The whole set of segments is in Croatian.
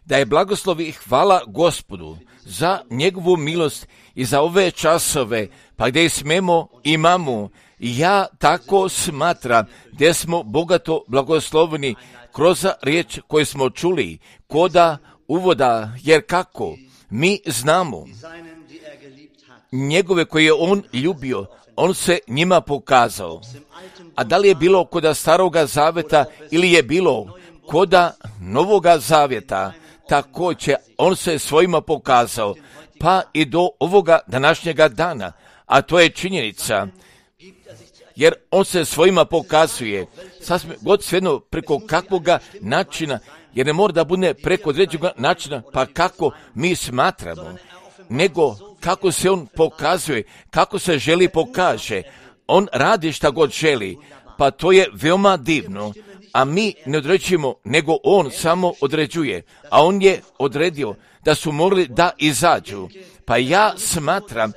da je blagoslov i hvala Gospodu za njegovu milost i za ove časove, pa gdje smemo, imamo. Ja tako smatram gdje smo bogato blagosloveni kroz riječ koju smo čuli, koda uvoda, jer kako mi znamo njegove koje je on ljubio, on se njima pokazao. A da li je bilo koda staroga zavjeta ili je bilo koda novoga zavjeta, također on se svojima pokazao, pa i do ovoga današnjega dana, a to je činjenica, jer on se svojima pokazuje, sasvim god svejedno preko kakvoga načina, jer ne mora da bude preko određenog načina, pa kako mi smatramo, nego kako se on pokazuje, kako se želi pokaže. On radi šta god želi, pa to je veoma divno, a mi ne određujemo, nego on samo određuje, a on je odredio da su morali da izađu. Pa ja smatram,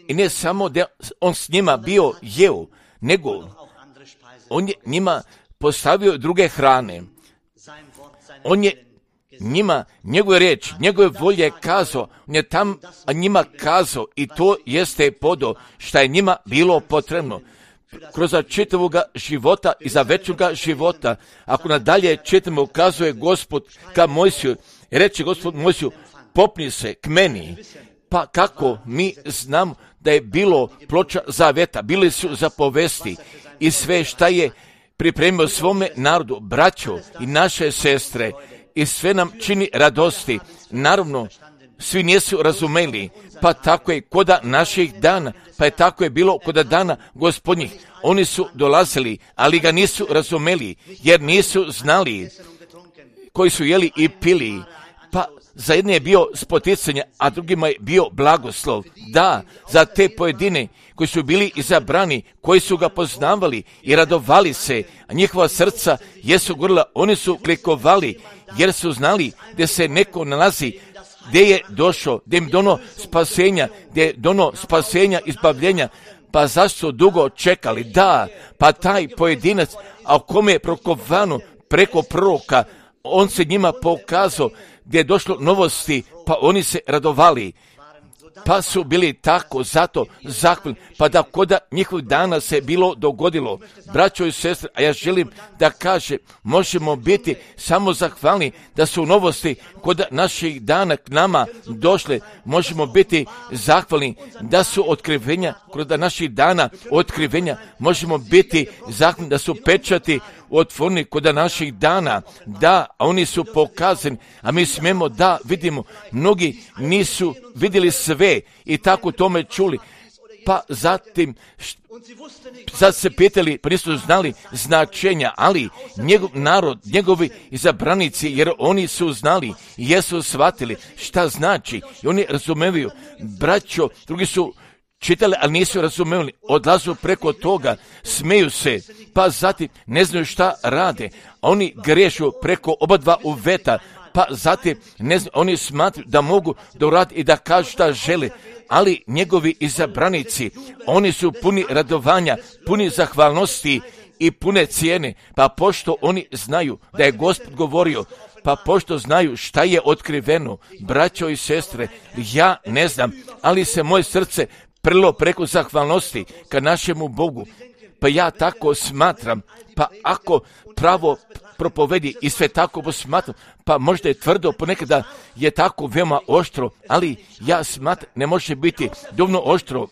i ne samo da on s njima bio jeo, nego on je njima postavio druge hrane. On je njima, njegove riječi, njegove volje kazao, on je tam njima kazao i to jeste podo šta je njima bilo potrebno. Kroz čitavoga života i za večnoga života, ako nadalje čitamo, kazuje Gospod ka Mojsiju, reče Gospod Mojsiju, popni se k meni. Pa kako mi znamo da je bilo ploča zaveta, bili su zapovesti i sve šta je pripremio svome narodu, braćo i naše sestre, i sve nam čini radosti. Naravno, svi nisu razumeli, pa tako je koda naših dana, pa je tako je bilo koda dana Gospodnjih. Oni su dolazili, ali ga nisu razumeli, jer nisu znali, koji su jeli i pili. Pa za jedne je bio spoticanje, a drugima je bio blagoslov. Da, za te pojedine koji su bili izabrani, koji su ga poznavali i radovali se, a njihova srca jesu gorila, oni su klikovali, jer su znali gdje se neko nalazi, gdje je došao, gdje im dono spasenja, gdje je dono spasenja, izbavljenja. Pa zašto su dugo čekali? Da, pa taj pojedinac, a u kome je prokovano preko proroka, on se njima pokazao gdje je došlo novosti, pa oni se radovali. Pa su bili tako, zato zahvalni, pa da koda njihovih dana se bilo dogodilo. Braćo i sestre, a ja želim da kaže, možemo biti samo zahvalni da su novosti koda naših dana k nama došle. Možemo biti zahvalni da su otkrivenja, koda naših dana otkrivenja, možemo biti zahvalni da su pečati otvoreni koda naših dana. Da, a oni su pokazani, a mi smemo da vidimo, mnogi nisu vidjeli sve i tako tome čuli, pa zatim sad se pitali, pa nisu znali značenja, ali njegov narod, njegovi izabranici, jer oni su znali i jesu shvatili šta znači i oni razumevaju. Braćo, drugi su čitali, ali nisu razumeli, odlazu preko toga, smeju se, pa zatim ne znaju šta rade, a oni grešu preko oba dva uveta, pa zatim ne znaju, oni smatruju da mogu da uradi i da kažu šta žele, ali njegovi izabranici, oni su puni radovanja, puni zahvalnosti i pune cijene, pa pošto oni znaju da je Gospod govorio, pa pošto znaju šta je otkriveno, braćo i sestre, ja ne znam, ali se moje srce prilo preko zahvalnosti ka našemu Bogu. Pa ja tako smatram, pa ako pravo propovedi i sve tako posmatram, pa možda je tvrdo, ponekada je tako veoma oštro, ali ja smatram, ne može biti dovoljno oštro,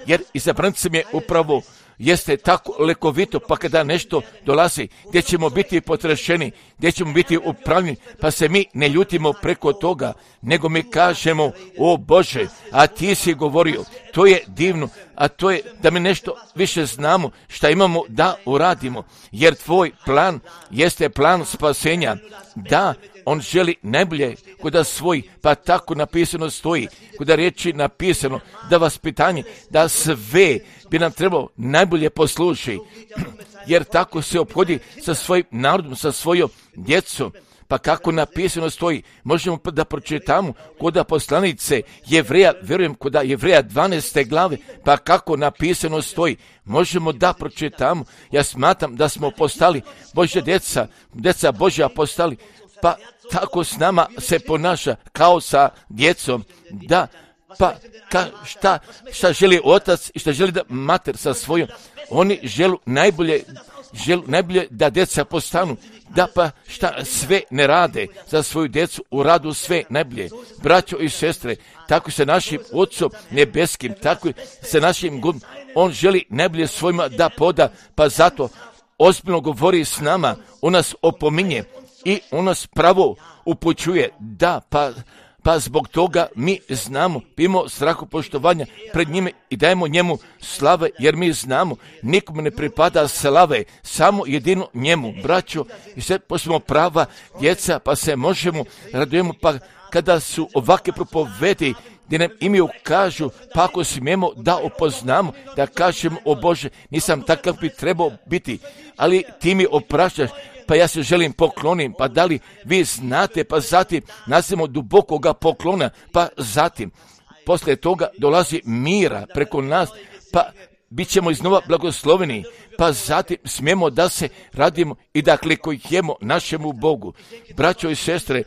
jer izabrancem je upravo jeste tako lekovito, pa kada nešto dolazi, gdje ćemo biti potrešeni, gdje ćemo biti upravljeni, pa se mi ne ljutimo preko toga, nego mi kažemo, o Bože, a ti si govorio, to je divno, a to je da mi nešto više znamo šta imamo da uradimo, jer tvoj plan jeste plan spasenja. Da, on želi najbolje kuda svoj, pa tako napisano stoji, kuda riječi napisano, da vaspitanje, da sve bi nam trebalo najbolje posluši, jer tako se ophodi sa svojim narodom, sa svojom djecom. Pa kako napisano stoji, možemo da pročitamo koda poslanice Jevreja, vjerujem koda Jevreja 12. glave, pa kako napisano stoji, možemo da pročitamo. Ja smatram da smo postali Božja djeca Božja postali pa tako s nama se ponaša kao sa djecom, da, pa šta želi otac i šta želi da mater sa svojom, oni žele najbolje da djeca postanu, da pa šta sve ne rade za svoju djecu, u radu sve najbolje. Braćo i sestre, tako se našim Otcom nebeskim, tako se našim Gospodom, on želi najbolje svojima da poda, pa zato ozbiljno govori s nama, on nas opominje i on nas pravo upućuje, da, pa zbog toga mi znamo, imamo strahu poštovanja pred njime i dajemo njemu slave, jer mi znamo, nikome ne pripada slave, samo jedino njemu. Braćo, i sve posmo prava djeca, pa se možemo radujemo, pa kada su ovakve propovedi gdje nam imaju kažu, pa ako smijemo da opoznamo, da kažemo, o Bože, nisam takav bi trebao biti, ali ti mi opraštaš, pa ja se želim poklonim, pa da li vi znate, pa zatim nastavimo dubokoga poklona, pa zatim poslije toga dolazi mira preko nas, pa bit ćemo iznova blagosloveni, pa zatim smijemo da se radimo i da klikujemo našemu Bogu. Braćo i sestre,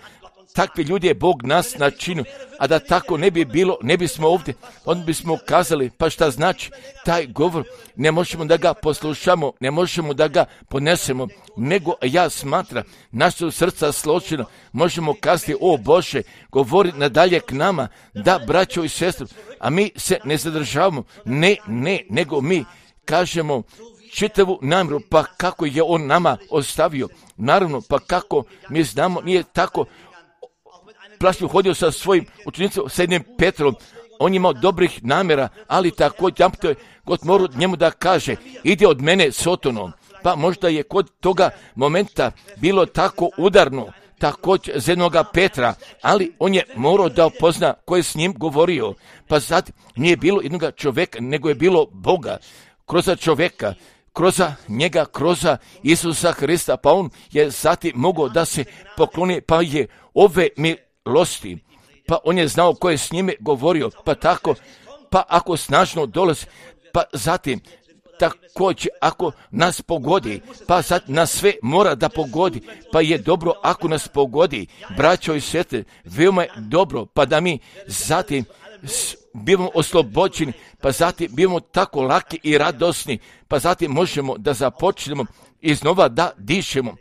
takvi ljudi je Bog nas načinio, a da tako ne bi bilo, ne bismo ovdje, onda bismo kazali, pa šta znači taj govor, ne možemo da ga poslušamo, ne možemo da ga ponesemo, nego ja smatram, naša srca složena, možemo kazati, o Bože, govori nadalje k nama, da, braćo i sestre, a mi se ne zadržavamo, nego mi kažemo čitavu namjeru, pa kako je on nama ostavio, naravno, pa kako mi znamo, nije tako. Plašno hodio sa svojim učenicom, sa jednim Petrom, on je imao dobrih namjera, ali također God mora njemu da kaže, ide od mene Sotonom, pa možda je kod toga momenta bilo tako udarno, također za jednoga Petra, ali on je morao da opozna ko je s njim govorio, pa sad nije bilo jednoga čovjeka, nego je bilo Boga, kroz čovjeka, kroz njega, kroz Isusa Hrista, pa on je zatim mogao da se pokloni, pa je ove milosti, pa on je znao ko je s njime govorio, pa tako, pa ako snažno dolazi, pa zatim također ako nas pogodi, pa sad nas sve mora da pogodi, pa je dobro ako nas pogodi, braćo i sestre, veoma je dobro, pa da mi zatim bivamo oslobođeni, pa zatim bivamo tako laki i radosni, pa zatim možemo da započnemo iznova da dišemo,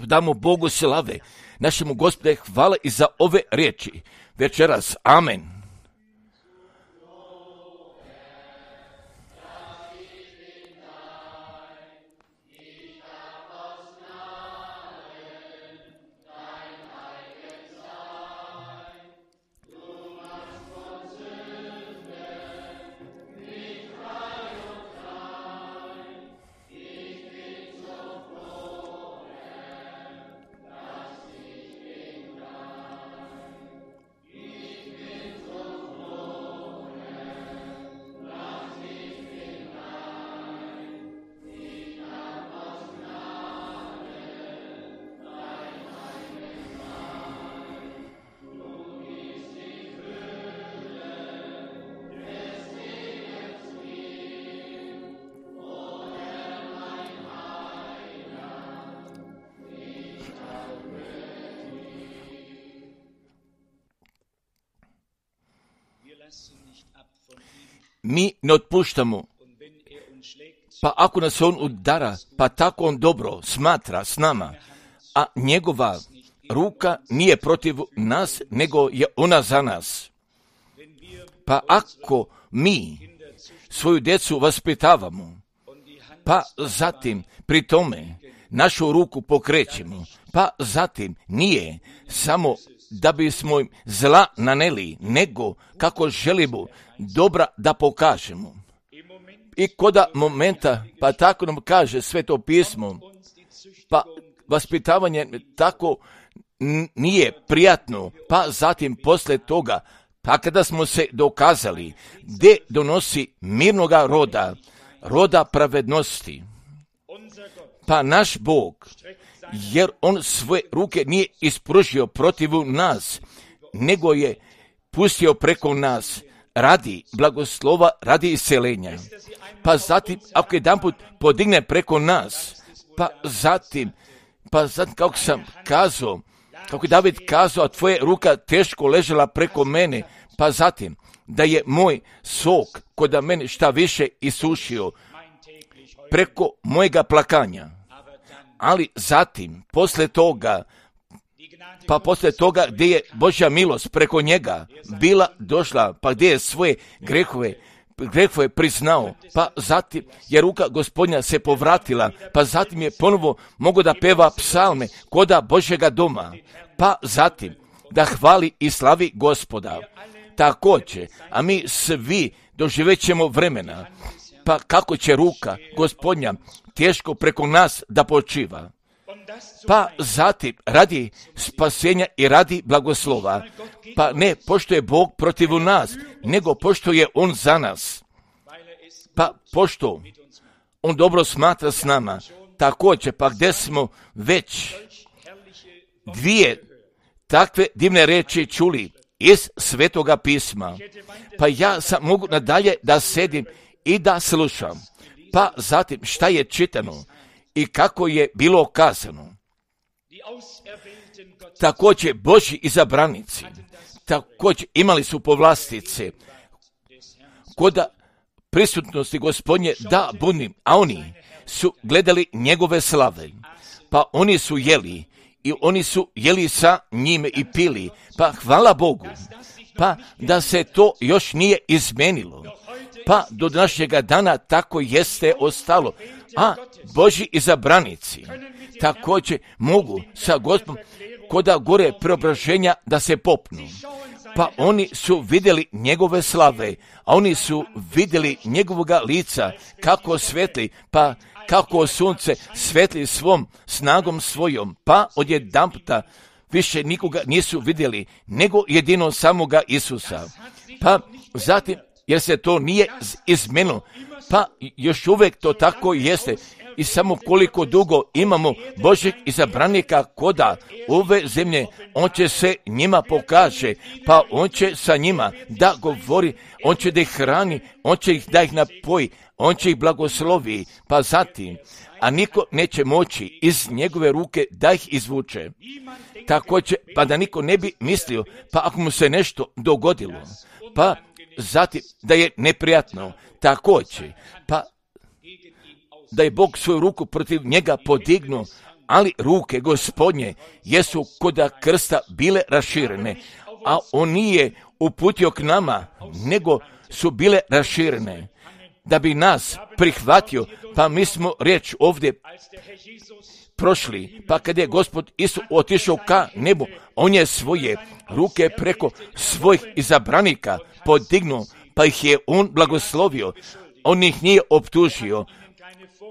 damo Bogu slave, našemu Gospode hvala i za ove riječi večeras, amen. Mi ne otpuštamo, pa ako nas on udara, pa tako on dobro smatra s nama, a njegova ruka nije protiv nas, nego je ona za nas. Pa ako mi svoju djecu vaspitavamo, pa zatim pri tome našu ruku pokrećemo, pa zatim nije samo da bismo im zla naneli, nego kako želimo dobra da pokažemo. I koda momenta, pa tako nam kaže Sveto pismo, pa vaspitavanje tako nije prijatno, pa zatim posle toga, pa kada smo se dokazali, gdje donosi mirnoga roda pravednosti, pa naš Bog, jer on svoje ruke nije ispružio protiv nas, nego je pustio preko nas radi blagoslova, radi isceljenja. Pa zatim, ako jedanput podigne preko nas, pa zatim Pa sad kako sam kazao, kako je David kazao, a tvoja ruka teško ležela preko mene, pa zatim da je moj sok kod mene šta više isušio preko mojega plakanja. Ali zatim, poslije toga gdje je Božja milost preko njega bila došla, pa gdje je svoje grehove priznao, pa zatim je ruka Gospodnja se povratila, pa zatim je ponovo mogao da peva psalme koda Božjega doma, pa zatim da hvali i slavi Gospoda. Također, a mi svi doživjet ćemo vremena, pa kako će ruka Gospodnja teško preko nas da počiva. Pa zatim radi spasenja i radi blagoslova, pa ne pošto je Bog protiv nas, nego pošto je On za nas. Pa pošto On dobro smatra s nama, također pa gdje smo već dvije takve divne reči čuli iz Svetoga pisma, pa ja sam mogu nadalje da sedim i da slušam, pa zatim šta je čitano i kako je bilo kazano. Također Božji izabranici, također imali su povlastice kod prisutnosti Gospodnje da budim, a oni su gledali njegove slave, pa oni su jeli i oni su jeli sa njime i pili, pa hvala Bogu, pa da se to još nije izmenilo, pa do današnjega dana tako jeste ostalo, a Božji izabranici također mogu sa Gospodom koda gore preobraženja da se popnu. Pa oni su vidjeli njegove slave, a oni su vidjeli njegovoga lica kako svetli, pa kako sunce svetli svom snagom svojom, pa odjedanputa više nikoga nisu vidjeli, nego jedino samoga Isusa. Pa zatim, jer se to nije izmenilo, pa još uvijek to tako jeste. I samo koliko dugo imamo Božjeg izabranika koda ove zemlje, On će se njima pokaže, pa On će sa njima da govori, On će da ih hrani, On će ih da ih napoji, On će ih blagoslovi, pa zatim, a niko neće moći iz njegove ruke da ih izvuče. Također, pa da niko ne bi mislio, pa ako mu se nešto dogodilo, pa zatim da je neprijatno, također, pa da je Bog svoju ruku protiv njega podignuo, ali ruke Gospodnje jesu koda krsta bile raširene, a On nije uputio k nama, nego su bile raširene, da bi nas prihvatio, pa mi smo riječ ovdje prošli, pa kad je Gospod Isus otišao ka nebu, On je svoje ruke preko svojih izabranika podignuo, pa ih je On blagoslovio, On ih nije optužio,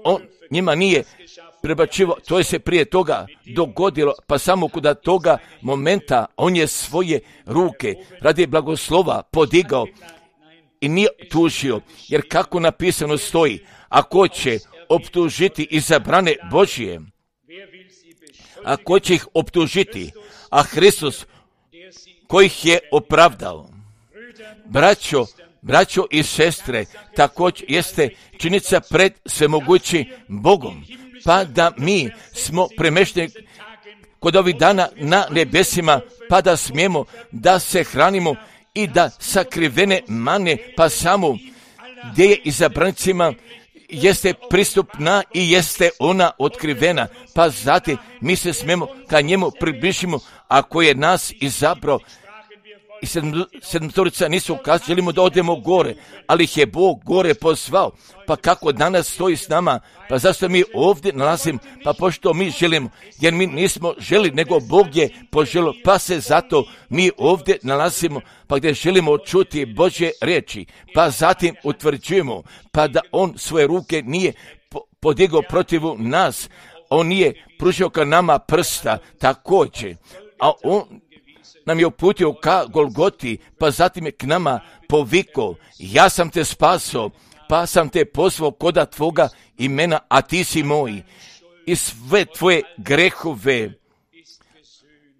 On njima nije prebačivao, to je se prije toga dogodilo, pa samo kod toga momenta On je svoje ruke radi blagoslova podigao i nije tužio, jer kako napisano stoji, ako će optužiti izabrane Božije, ako će ih optužiti, a Hristos koji ih je opravdao. Braćo i sestre, također jeste činjenica pred svemogućim Bogom, pa da mi smo premešteni kod ovih dana na nebesima, pa da smijemo da se hranimo i da sakrivene mane, pa samo gdje je izabranicima jeste pristupna i jeste ona otkrivena, pa zatim mi se smijemo ka njemu približimo, ako je nas izabrao. I sedmotorica nisu kazali, želimo da odemo gore, ali ih je Bog gore pozvao. Pa kako danas stoji s nama, pa zašto mi ovdje nalazimo, pa pošto mi želimo, jer mi nismo želi, nego Bog je poželio, pa se zato mi ovdje nalazimo, pa gdje želimo čuti Božje riječi, pa zatim utvrđujemo, pa da On svoje ruke nije podigao protiv nas, On nije pružio ka nama prsta, također, a On nam je uputio ka Golgoti, pa zatim je k nama povikao, ja sam te spasao, pa sam te pozvao koda tvoga imena, a ti si moj. I sve tvoje grehove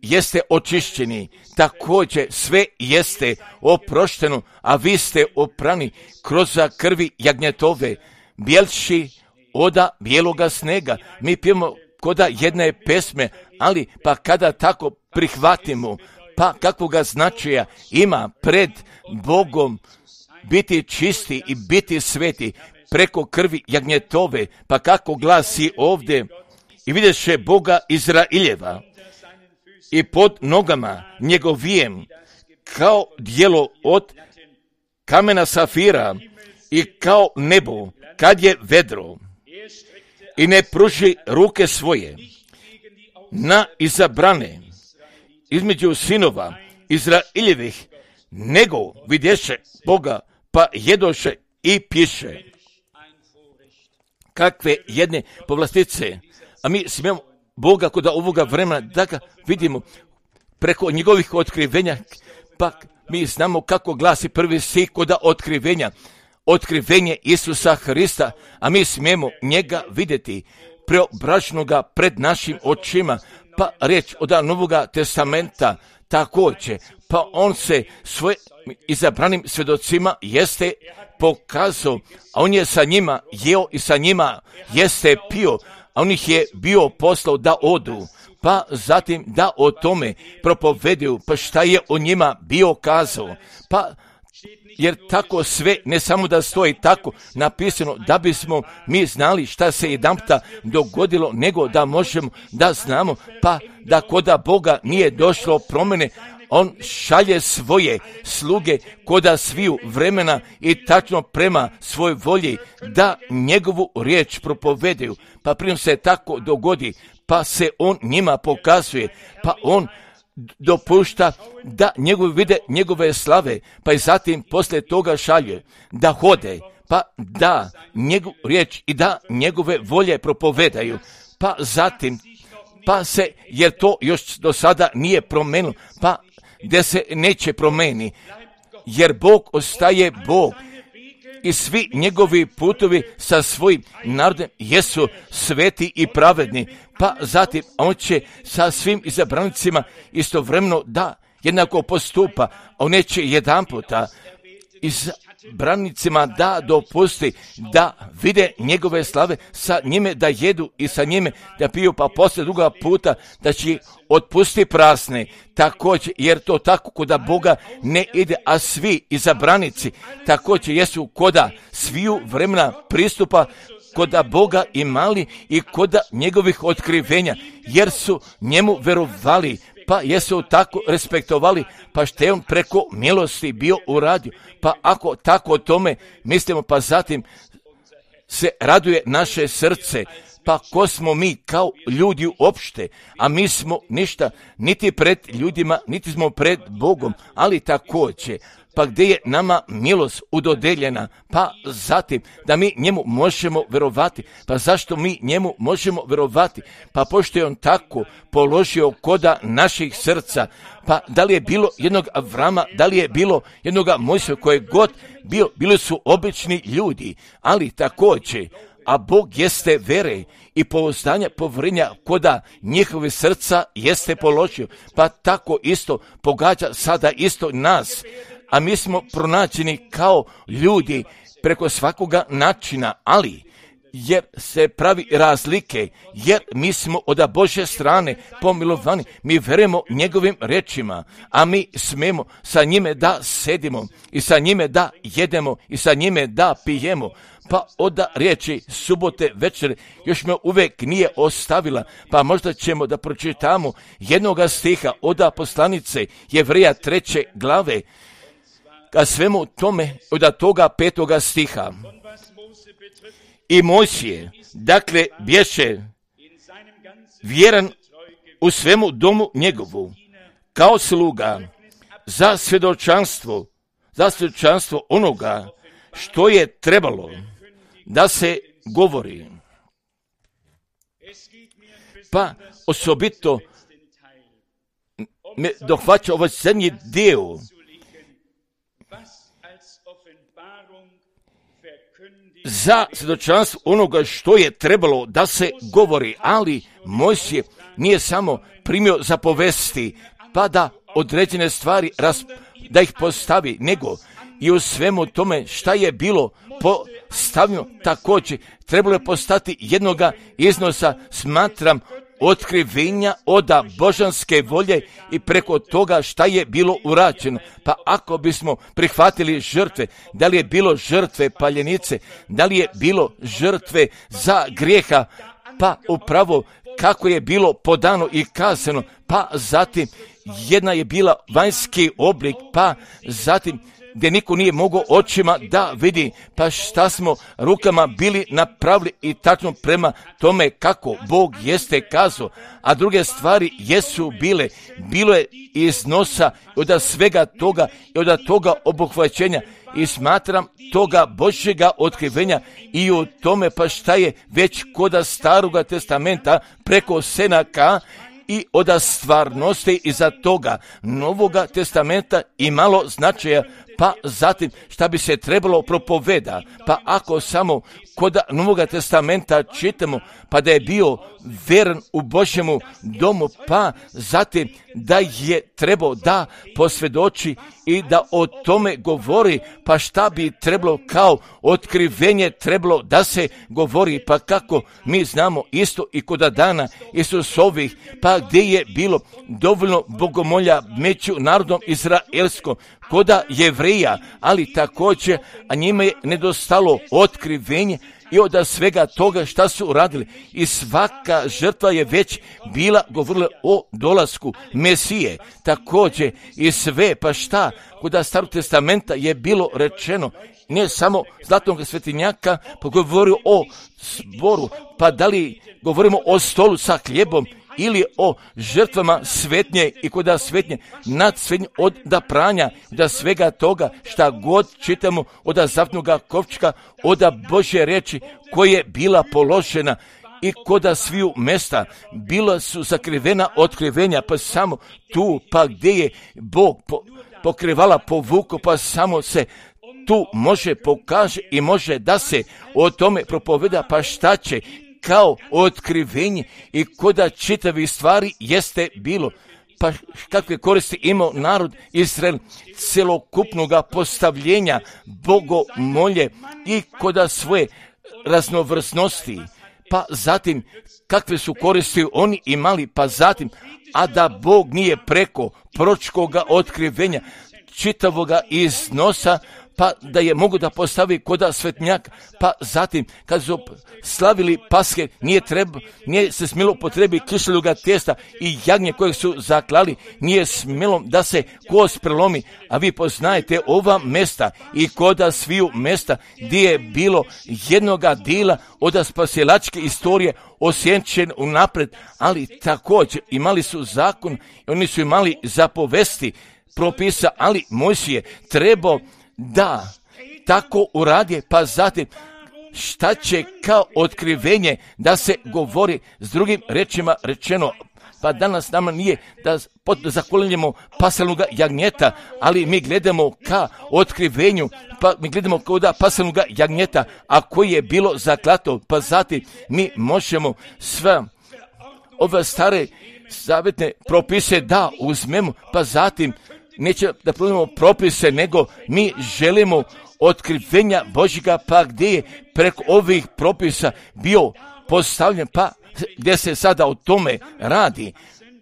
jeste očišćeni, također sve jeste oprošteno, a vi ste oprani kroz krvi jagnjetove, bjelši oda bijeloga snega. Mi pijemo koda jedne pesme, ali pa kada tako prihvatimo, pa kakvoga značaja ima pred Bogom biti čisti i biti sveti preko krvi jagnjetove, pa kako glasi ovdje, i vidješe Boga Izraeljeva i pod nogama njegovijem kao dijelo od kamena safira i kao nebo kad je vedro, i ne pruži ruke svoje na izabrane između sinova Izraeljevih, nego vidješe Boga pa jedoše i piše. Kakve jedne povlastice, a mi smijemo Boga kod ovoga vremena da ga vidimo preko njegovih otkrivenja, pa mi znamo kako glasi prvi stih kod otkrivenje Isusa Hrista, a mi smijemo njega vidjeti preobraženoga pred našim očima, pa riječ od Novoga testamenta također, pa on se svojim izabranim svjedocima jeste pokazao, a on je sa njima jeo i sa njima jeste pio, a on ih je bio poslao da odu, pa zatim da o tome propoveduju, pa šta je o njima bio kazao, pa jer tako sve ne samo da stoji tako napisano da bismo mi znali šta se jedanputa dogodilo, nego da možemo da znamo, pa da koda Boga nije došlo promjene, on šalje svoje sluge koda sviju vremena i tačno prema svoj volji da njegovu riječ propoveduju, pa prije se tako dogodi, pa se on njima pokazuje, pa on dopušta da njegovi vide njegove slave, pa i zatim poslije toga šalje da hode, pa da njegovu riječ i da njegove volje propovedaju, pa zatim, pa se, jer to još do sada nije promenilo, pa gdje se neće promeni, jer Bog ostaje Bog i svi njegovi putovi sa svojim narodom jesu sveti i pravedni, pa zatim on će sa svim izabranicima istovremeno da jednako postupa, a on neće jedanputa izabranicima da dopusti da vide njegove slave, sa njime da jedu i sa njime da piju, pa poslije druga puta da će otpusti prazne, također, jer to tako koda Boga ne ide, a svi izabranici također jesu koda sviju vremena pristupa koda Boga imali i koda njegovih otkrivenja, jer su njemu verovali, pa jesu tako respektovali, pa što je on preko milosti bio uradio, pa ako tako o tome mislimo, pa zatim se raduje naše srce, pa ko smo mi kao ljudi uopšte, a mi smo ništa, niti pred ljudima, niti smo pred Bogom, ali također, pa gdje je nama milost udodeljena, pa zatim da mi njemu možemo verovati, pa zašto mi njemu možemo verovati, pa pošto je on tako položio koda naših srca, pa da li je bilo jednog Avrama, da li je bilo jednog Mojsija, koje god bili su obični ljudi, ali također, a Bog jeste vere i pouzdanja povjerenja koda njihove srca jeste položio, pa tako isto pogađa sada isto nas, a mi smo pronađeni kao ljudi preko svakoga načina, ali jer se pravi razlike, jer mi smo od Božje strane pomilovani, mi verujemo njegovim rečima, a mi smemo sa njime da sedimo i sa njime da jedemo i sa njime da pijemo. Pa od riječi subote večer još me uvijek nije ostavila, pa možda ćemo da pročitamo jednoga stiha od poslanice Jevreja 3. glave, ka svemu tome od toga 5. stiha. I Mojsije, dakle, bješe vjeran u svemu domu njegovu, kao sluga za svjedočanstvo onoga što je trebalo da se govori. Pa osobito me dohvaća ovaj zadnji dio, za svjedočanstvo onoga što je trebalo da se govori, ali Mojsije nije samo primio zapovesti, pa da određene stvari da ih postavi, nego i u svemu tome šta je bilo stavimo također, trebalo je postati jednoga iznosa, smatram, otkrivenja oda božanske volje i preko toga šta je bilo urađeno. Pa ako bismo prihvatili žrtve, da li je bilo žrtve paljenice, da li je bilo žrtve za grijeha, pa upravo kako je bilo podano i kazano, pa zatim jedna je bila vanjski oblik, pa zatim gdje niko nije mogao očima da vidi, pa šta smo rukama bili napravili i tačno prema tome kako Bog jeste kazao, a druge stvari jesu bilo je iznosa od svega toga i od toga obuhvaćenja i smatram toga Božjega otkrivenja i u tome pa šta je već koda Staroga testamenta preko Senaka i od stvarnosti iza toga Novoga testamenta imalo značaja, pa zatim šta bi se trebalo propoveda, pa ako samo kod Novoga testamenta čitamo, pa da je bio veran u Božjemu domu, pa zatim da je trebao da posvjedoči i da o tome govori, pa šta bi trebalo kao otkrivenje trebalo da se govori, pa kako mi znamo isto i kod dana Isusovih, pa gdje je bilo dovoljno bogomolja među narodom izraelskom, koda Jevrija, ali također, a njima je nedostalo otkrivenje i od svega toga šta su uradili. I svaka žrtva je već bila govorila o dolasku Mesije. Također i sve, pa šta, kod Starog testamenta je bilo rečeno, ne samo zlatnog svetinjaka, pa govorio o zboru, pa da li govorimo o stolu sa hljebom, ili o žrtvama svetnje i kod svetnje, nad svetnje od da pranja, da svega toga šta god čitamo od zavetnoga kovčka, od Božje reči koja je bila položena i kod sviju mesta bila su sakrivena otkrivenja, pa samo tu, pa gdje je Bog pokrivala povuku, pa samo se tu može pokaže i može da se o tome propoveda, pa šta će kao otkrivenje i koda čitavi stvari jeste bilo. Pa kakve koristi imao narod Izrael celokupnoga postavljenja bogomolje i koda svoje raznovrsnosti. Pa zatim kakve su koristi oni imali, pa zatim, a da Bog nije preko proročkoga otkrivenja čitavoga iznosa, pa da je mogu da postavi koda svetnjaka, pa zatim kad su slavili Paske, nije se smjelo potrebi kiseloga tijesta i jagnje kojeg su zaklali, nije smjelo da se kost prelomi, a vi poznajete ova mesta i koda sviju mesta gdje je bilo jednoga dila od spasilačke istorije osjenčen unapred, ali također imali su zakon i oni su imali zapovesti propisa, ali Mojsije trebao da tako uradi, pa zatim šta će kao otkrivenje da se govori, s drugim rečima rečeno, pa danas nama nije da zakolinjemo pasalnog jagnjeta, ali mi gledamo ka otkrivenju, pa mi gledamo kao da pasalnog jagnjeta, a koji je bilo zaklato, pa zatim mi možemo sve ove stare zavetne propise da uzmemo, pa zatim neće da promijenimo propise, nego mi želimo otkrivenja Božjega, pa gdje je preko ovih propisa bio postavljen, pa gdje se sada o tome radi,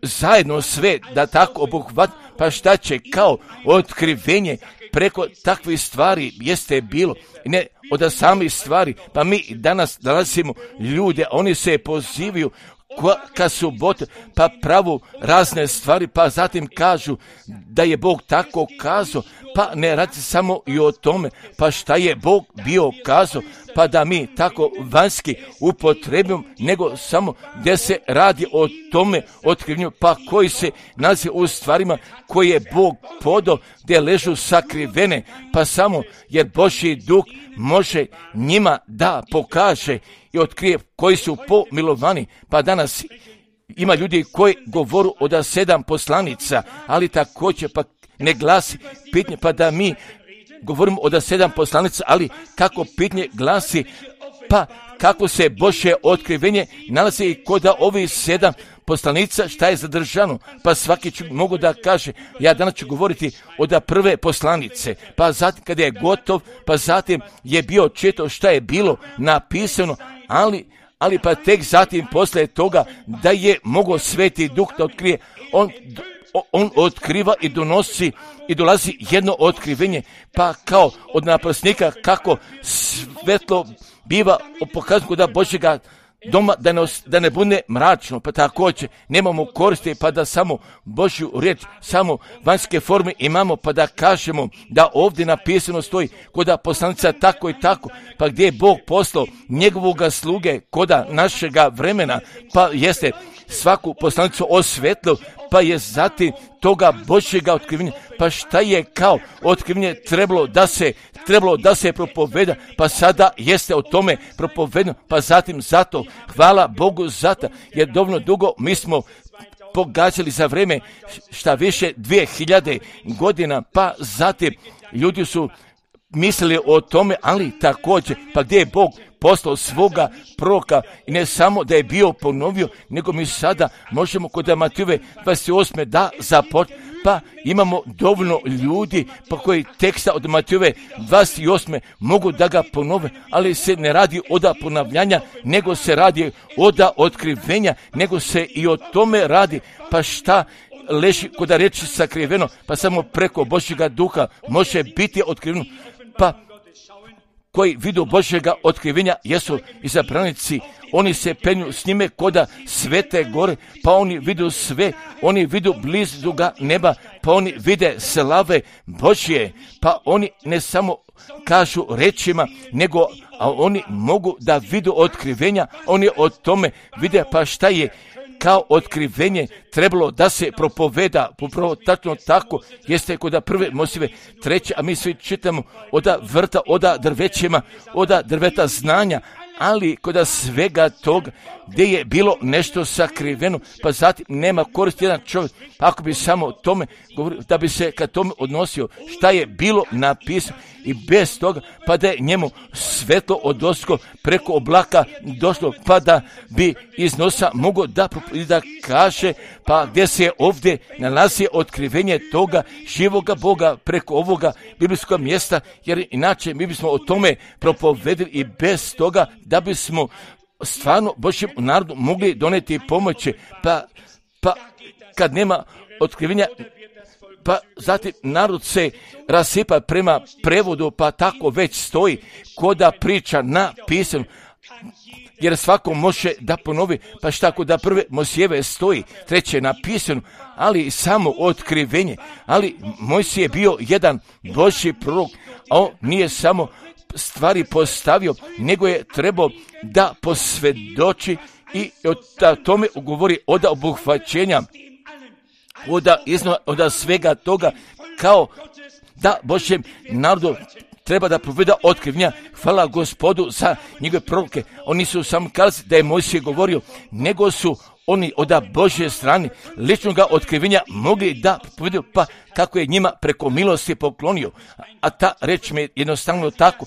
zajedno sve da tako obuhvat, pa šta će kao otkrivenje preko takvih stvari jeste bilo, ne od samih stvari, pa mi danas nalazimo ljude, oni se pozivaju kad su pa pravu razne stvari, pa zatim kažu da je Bog tako kazao, pa ne radi samo i o tome, pa šta je Bog bio kazao, pa da mi tako vanjski upotrebimo, nego samo gdje se radi o tome otkrivenju, pa koji se nalazi u stvarima koje je Bog podao, gdje ležu sakrivene, pa samo jer Božji duh može njima da pokaže i otkrije koji su pomilovani, pa danas ima ljudi koji govoru od 7 poslanica, ali također pa ne glasi pitanje, pa da mi govorimo od 7 poslanica, ali kako pitanje glasi, pa kako se Božje otkrivenje nalazi i kod ovih 7 poslanica šta je zadržano, pa svaki mogu da kaže, ja danas ću govoriti od prve poslanice, pa zatim kada je gotov, pa zatim je bio čito šta je bilo napisano, ali pa tek zatim poslije toga da je mogao Sveti Duh da otkrije, on otkriva i donosi i dolazi jedno otkrivenje, pa kao od naprasnika kako svetlo biva pokazano da Božjega doma, da ne bude mračno, pa također nemamo koristi, pa da samo Božju riječ, samo vanjske forme imamo, pa da kažemo da ovdje napisano stoji koda poslanica tako i tako, pa gdje je Bog poslao njegovoga sluge koda našega vremena, pa jeste svaku poslanicu osvetlio, pa je zatim toga Božjega otkrivenja, pa šta je kao otkrivenje trebalo da se propoveda, pa sada jeste o tome propovedano, pa zatim zato, hvala Bogu zato, jer dovoljno dugo mi smo pogađali za vreme šta više 2000 godina, pa zatim ljudi su mislili o tome, ali također, pa gdje je Bog poslao svoga proroka i ne samo da je bio ponovio, nego mi sada možemo kod Matejove 28. da započne, pa imamo dovoljno ljudi pa koji teksta od Matejove 28. mogu da ga ponove, ali se ne radi od ponavljanja, nego se radi od otkrivenja, nego se i o tome radi, pa šta leži kod reči sakriveno, pa samo preko Božjega duha može biti otkriveno, pa koji vidu Božjega otkrivenja jesu izabranici, oni se penju s njime koda svete gore, pa oni vidu sve, oni vidu blizuga neba, pa oni vide slave Božje, pa oni ne samo kažu rečima, nego oni mogu da vidu otkrivenja, oni o tome vide, pa šta je kao otkrivenje trebalo da se propoveda, upravo tačno tako jeste kod prve Mojsijeve 3, a mi svi čitamo od vrta, od drvećima, od drveta znanja, ali kod svega toga gdje je bilo nešto sakriveno, pa zatim nema koristi jedan čovjek, ako bi samo o tome govorio, da bi se kad tome odnosio šta je bilo napisano i bez toga, pa da je njemu svetlo odosko preko oblaka došlo, pa da bi iz nosa mogao da kaže, pa gdje se ovdje nalazi otkrivenje toga živoga Boga preko ovoga biblijskog mjesta, jer inače mi bismo o tome propovedili i bez toga da bismo stvarno Božjem narodu mogli doneti pomoći, pa kad nema otkrivenja, pa zatim narod se rasipa prema prevodu, pa tako već stoji koda priča napisano, jer svako može da ponovi, pa šta kod prve Mojsijeve stoji, 3 napisano, ali samo otkrivenje, ali Mojsije je bio jedan Božji prorok, a on nije samo stvari postavio, nego je trebao da posvjedoči i o tome govori od obuhvaćenja, od svega toga, kao da Božjem narodu treba da proveda otkrivenja. Hvala Gospodu za njegove proroke. Oni su samo kazali da je Mojsije govorio, nego su oni od Božje strane ličnog otkrivenja mogli da povedu, pa kako je njima preko milosti poklonio. A ta reč mi je jednostavno tako,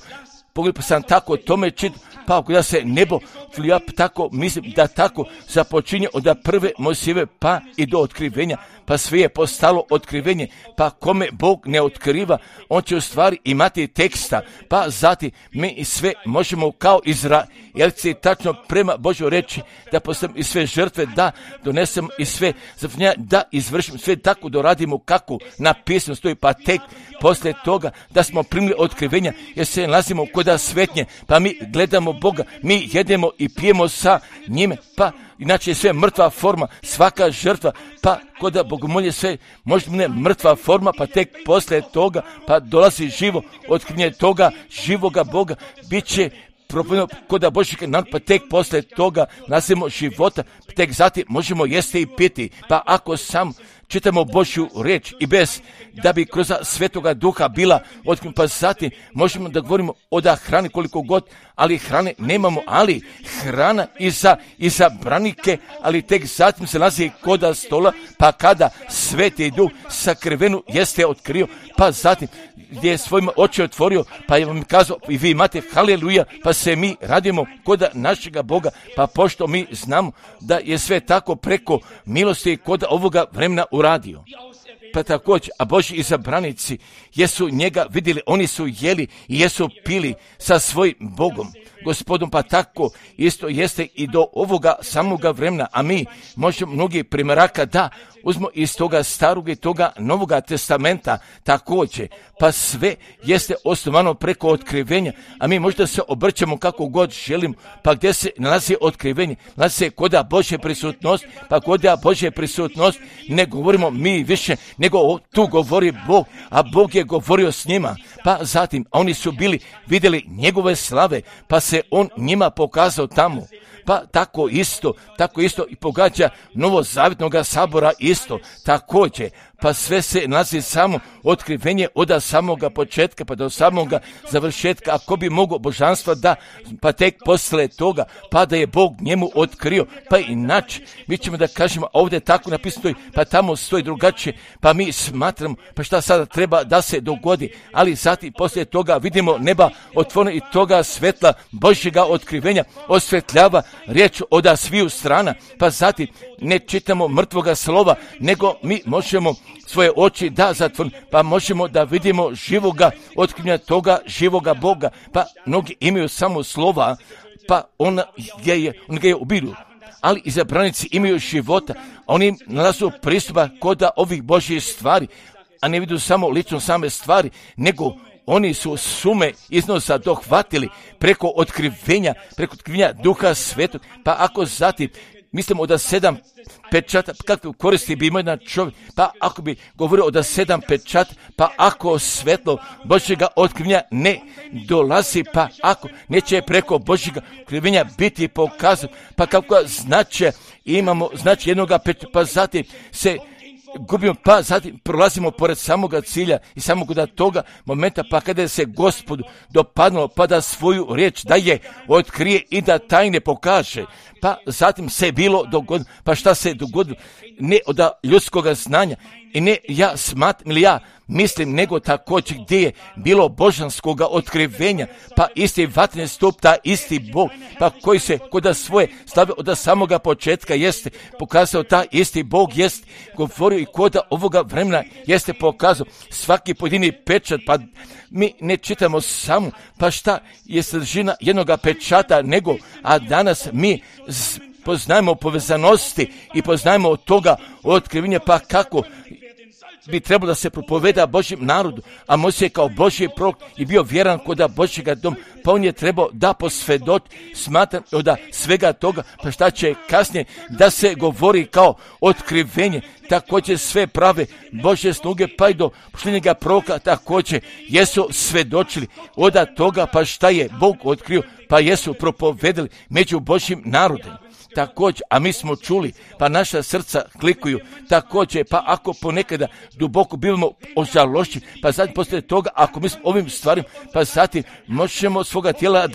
pogledaj, pa sam tako tome čitam, pa ako da se nebo, ja tako mislim da tako započinje od prve Mojsijeve pa i do otkrivenja, pa sve je postalo otkrivenje, pa kome Bog ne otkriva, on će u stvari imati teksta, pa zatim mi sve možemo kao Izraelci tačno prema Božjoj reči da postavimo i sve žrtve, da donesemo i sve završenja, da izvršimo sve tako doradimo kako napisano stoji, pa tek poslije toga da smo primili otkrivenja, jer se nalazimo kod svetnje, pa mi gledamo Boga, mi jedemo i pijemo sa njime, pa inače je sve mrtva forma, svaka žrtva, pa kod bogomolje sve možda ne mrtva forma, pa tek poslije toga pa dolazi živo otkrivenje toga živoga Boga, bit će propovjedano kod Božjeg naroda, pa tek poslije toga nasimo života, tek zatim možemo jesti i piti, pa ako sam čitamo Božju riječ i bez da bi kroz Svetoga Duha bila otkrinuta, pa zatim možemo da govorimo o da hrani koliko god, ali hrane nemamo, ali hrana i za branike, ali tek zatim se nalazi kod stola, pa kada Sveti Duh sakrivenu jeste otkrio, pa zatim gdje je svojima oči otvorio, pa je vam kazao i vi imate haleluja, pa se mi radimo kod našega Boga, pa pošto mi znamo da je sve tako preko milosti kod ovoga vremena uradio. Pa također, a Božji izabranici jesu njega vidjeli, oni su jeli i jesu pili sa svojim Bogom, Gospodom, pa tako isto jeste i do ovoga samoga vremena, a mi možemo mnogi primjeraka da uzmo iz toga starog i toga Novoga testamenta također, pa sve jeste osnovano preko otkrivenja, a mi možda se obrćemo kako god želimo, pa gdje se nalazi otkrivenje, nalazi se koda Božje prisutnost, pa koda Božje prisutnost ne govorimo mi više, nego tu govori Bog, a Bog je govorio s njima, pa zatim oni su vidjeli njegove slave, pa se on njima pokazao tamo. Pa tako isto i pogađa Novozavjetnoga sabora isto, također, pa sve se nalazi samo otkrivenje od samoga početka pa do samoga završetka, ako bi mogao božanstva da, pa tek posle toga, pa da je Bog njemu otkrio, pa inače, mi ćemo da kažemo, ovdje tako napisano, pa tamo stoji drugačije, pa mi smatramo, pa šta sada treba da se dogodi, ali zatim poslije toga vidimo neba otvoreno i toga svetla Božjega otkrivenja osvetljava riječ od sviju strana, pa zatim ne čitamo mrtvoga slova, nego mi možemo svoje oči da zatvorimo, pa možemo da vidimo živoga otkrivenja toga živoga Boga, pa mnogi imaju samo slova, pa on ga je ubiru, ali izabranici imaju života, oni nalazu pristupa kod ovih Božjih stvari, a ne vidu samo lično same stvari, nego oni su sume iznosa dohvatili preko otkrivenja Duha Svetog, pa ako zatim mislimo da 7 pečata, kakve koristi bi imao jedan čovjek, pa ako bi govorio o da 7 pečata, pa ako svetlo Božjega otkrivenja ne dolazi, pa ako neće preko Božjega otkrivenja biti pokazano, pa kako imamo jednoga pečata, pa zatim se gubimo, pa zatim prolazimo pored samoga cilja i samog da toga momenta, pa kada se Gospodu dopadnulo, pa da svoju riječ da je otkrije i da tajne pokaže, pa zatim se bilo dogodilo, pa šta se dogodilo, ne od ljudskoga znanja i ne ja smatram ili ja mislim, nego također gdje je bilo božanskoga otkrivenja, pa isti vatreni stup, ta isti Bog, pa koji se kod svoje slave od samoga početka jeste pokazao, ta isti Bog jeste govorio i kod ovoga vremena jeste pokazao svaki pojedini pečat, pa mi ne čitamo samo, pa šta je sadržina jednoga pečata, nego, a danas mi poznajemo povezanosti i poznajemo od toga otkrivenja, pa kako bi trebalo da se propoveda Božjem narodu, a Mojsije kao Božji prorok i bio vjeran kod Božjega doma, pa on je trebao da posvjedoči, smatram od svega toga, pa šta će kasnije da se govori kao otkrivenje, također sve prave Božje sluge, pa i do posljednjega proroka također jesu svedočili od toga, pa šta je Bog otkrio, pa jesu propovedali među Božjim narodom. Također, a mi smo čuli, pa naša srca klikuju, također, pa ako ponekada duboko bivamo ožalošćeni, pa zatim poslije toga, ako mi smo ovim stvarima, pa zatim možemo svoga tijela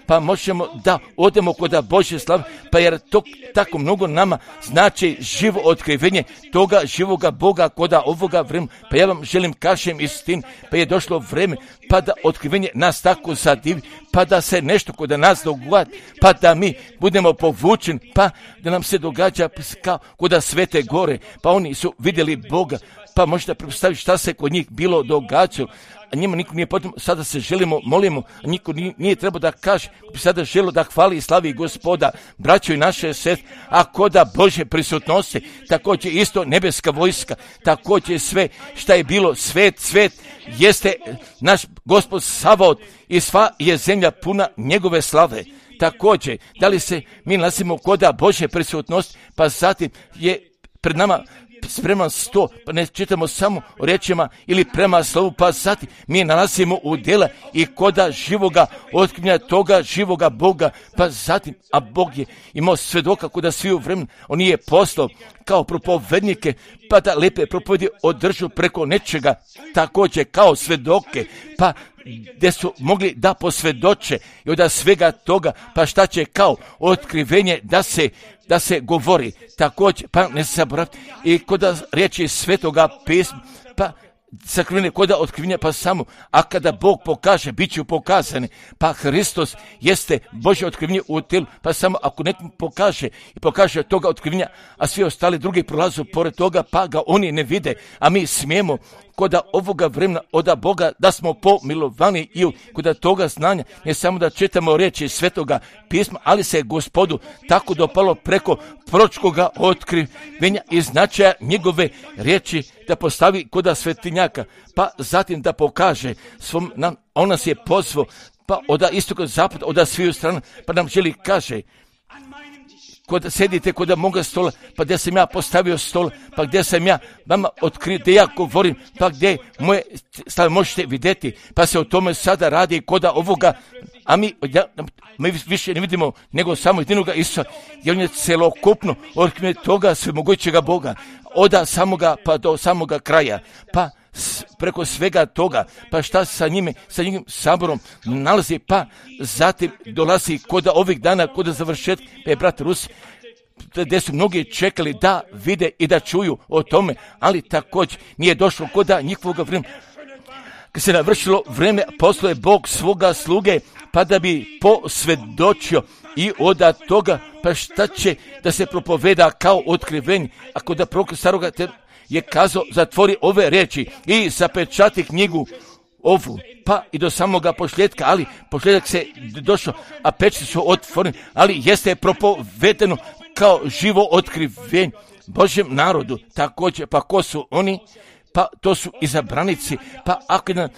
pa možemo da odemo kod Božje slave, pa jer to tako mnogo nama znači živo otkrivenje toga živoga Boga kod ovoga vremena, pa ja vam želim kažem istinu, pa je došlo vreme, pa da otkrivenje nas tako zadivi, pa da se nešto kod nas dogodi, pa da mi budemo povučeni, pa da nam se događa kao kod Svete Gore, pa oni su vidjeli Boga, pa možete predstaviti šta se kod njih bilo događalo, a njima niko nije potrebno, sada se molimo, a niko nije trebao da kaže, bi sada želio da hvali i slavi Gospoda, braćo i naše sestre, a koda Božje prisutnosti, također isto nebeska vojska, također sve šta je bilo, svet, jeste naš Gospod Savaot i sva je zemlja puna njegove slave. Također, da li se mi nalazimo koda Božje prisutnosti, pa zatim je pred nama spreman sto, pa ne čitamo samo o riječima ili prema slovu, pa zatim mi nalazimo u djela i koda živoga otkrivenja toga živoga Boga, pa zatim, a Bog je imao svedoka koda svi u vremenu, on je poslao kao propovednike, pa da lepe propovedi održu preko nečega, također kao svedoke, pa gdje su mogli da posvjedoče i od svega toga, pa šta će kao otkrivenje da se govori, također, pa ne zaboraviti i kod riječi Svetoga pisma, pa sakrivene koda otkrivenja, pa samo, a kada Bog pokaže, bit će pokazane, pa Hristos jeste Božje otkrivenje u tijelu, pa samo ako nekom pokaže toga otkrivenja, a svi ostali drugi prolazu pored toga, pa ga oni ne vide, a mi smijemo koda ovoga vremena od Boga da smo pomilovani i koda toga znanja, ne samo da čitamo riječi Svetoga pisma, ali se Gospodu tako dopalo preko proročkoga otkrivenja i značaja njegove riječi da postavi koda svetinjaka, pa zatim da pokaže svom nam, on nas je pozvao, pa od istoka zapada, od sviju strana, pa nam želi kaže, kod sedite kod moga stola, pa gdje sam ja postavio stol, pa gdje sam ja vama otkrio, gdje ja govorim, pa gdje moje stave možete vidjeti, pa se o tome sada radi kod ovoga, a mi više ne vidimo nego samo jedinoga Isusa, jer on je celokupno otkrivenje toga svemogućega Boga, od samoga pa do samoga kraja, pa preko svega toga, pa šta sa njime, sa njim saborom nalazi, pa zatim dolazi kod ovih dana, kod završetka, pa je brat Rus, gdje su mnogi čekali da vide i da čuju o tome, ali također nije došlo kod njihovog vremena. Kad se navršilo vreme, poslao je Bog svoga sluge, pa da bi posvjedočio i od toga, pa šta će da se propoveda kao otkrivenje, ako da prorok staroga je kazao, zatvori ove riječi i zapečati knjigu ovu, pa i do samoga posljedka, ali posljedak se došao, a pečati su otvoreni, ali jeste propovedeno kao živo otkrivenje Božjem narodu, također, pa ko su oni? Pa to su izabranici, pa ako jedan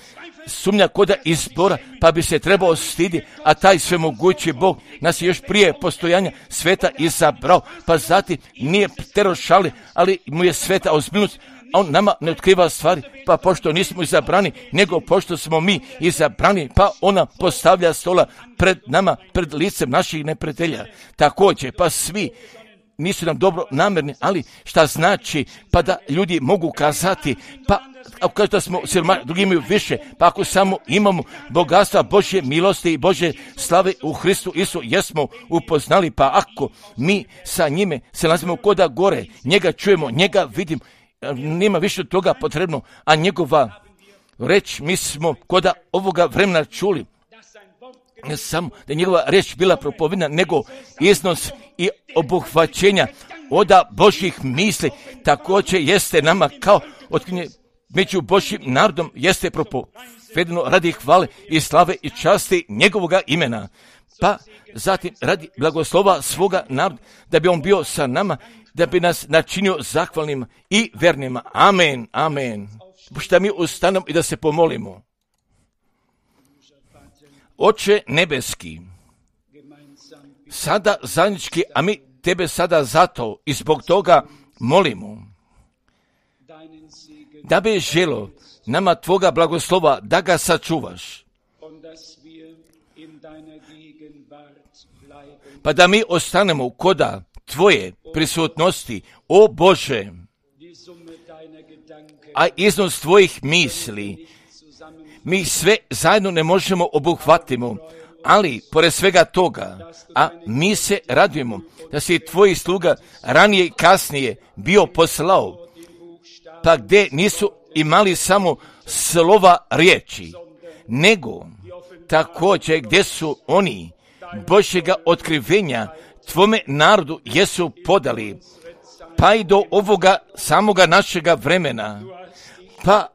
sumnja koda izbora, pa bi se trebao stiditi, a taj svemogući Bog nas je još prije postojanja sveta izabrao, pa zatim nije terošali, ali mu je sveta ozbiljnost, a on nama ne otkriva stvari, pa pošto nismo izabrani, nego pošto smo mi izabrani, pa ona postavlja stola pred nama, pred licem naših neprijatelja. Također, pa svi nisu nam dobro namjerni, ali šta znači, pa da ljudi mogu kazati, pa ako kažu da smo siromašni, drugi imaju više, pa ako samo imamo bogatstva Božje milosti i Božje slave u Hristu Isu, jesmo upoznali, pa ako mi sa njime se nalazimo koda gore, njega čujemo, njega vidimo, nema više toga potrebno, a njegova reč mi smo koda ovoga vremena čuli, ne samo da je njegova reč bila propovedna, nego iznos i obuhvaćenja oda Božjih misli, također jeste nama kao otkrivenje među Božjim narodom, jeste propovedeno radi hvale i slave i časti njegovoga imena, pa zatim radi blagoslova svoga naroda, da bi on bio sa nama, da bi nas načinio zahvalnima i vernima. Amen, amen. Šta mi ustanemo i da se pomolimo. Oče nebeski, sada zajednički, a mi tebe sada zato i zbog toga molimo, da bi želo nama tvoga blagoslova da ga sačuvaš, pa da mi ostanemo koda tvoje prisutnosti, o Bože, a iznos tvojih misli mi sve zajedno ne možemo obuhvatimo, ali pored svega toga, a mi se radujemo da si tvoji sluga ranije i kasnije bio poslao, pa gdje nisu imali samo slova riječi, nego također gdje su oni Božjega otkrivenja tvome narodu jesu podali, pa i do ovoga samoga našega vremena, pa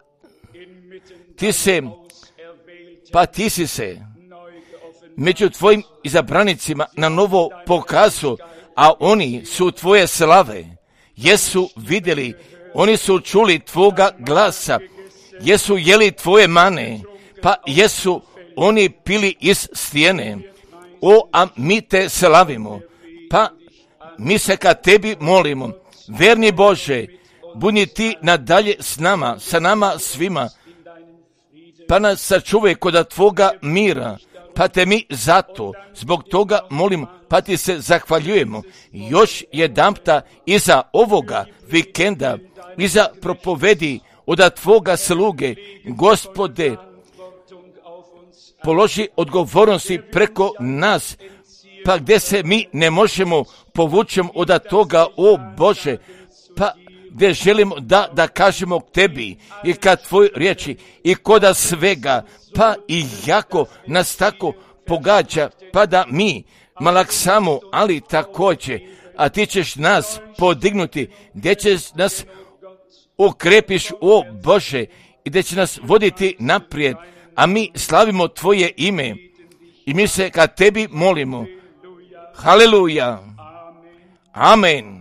ti si se među tvojim izabranicima na novo pokazao, a oni su tvoje slave, jesu vidjeli, oni su čuli tvoga glasa, jesu jeli tvoje mane, pa jesu oni pili iz stijene. O, a mi te slavimo, pa mi se ka tebi molimo, verni Bože, Budi ti nadalje s nama, sa nama svima, pa nas sačuvaj kod tvoga mira, pa te mi zato, zbog toga molim, pa ti se zahvaljujemo još jedanpta iza ovoga vikenda, iza propovedi od tvoga sluge, Gospode, položi odgovornosti preko nas, pa gdje se mi ne možemo povućem od toga, o Bože, pa gdje želimo da kažemo tebi i kad tvoj riječi i koda svega, pa i jako nas tako pogađa, pa da mi malaksamo, ali također, a ti ćeš nas podignuti, gdje ćeš nas okrepiš, o Bože, i gdje će nas voditi naprijed, a mi slavimo tvoje ime i mi se ka tebi molimo. Haleluja. Amen.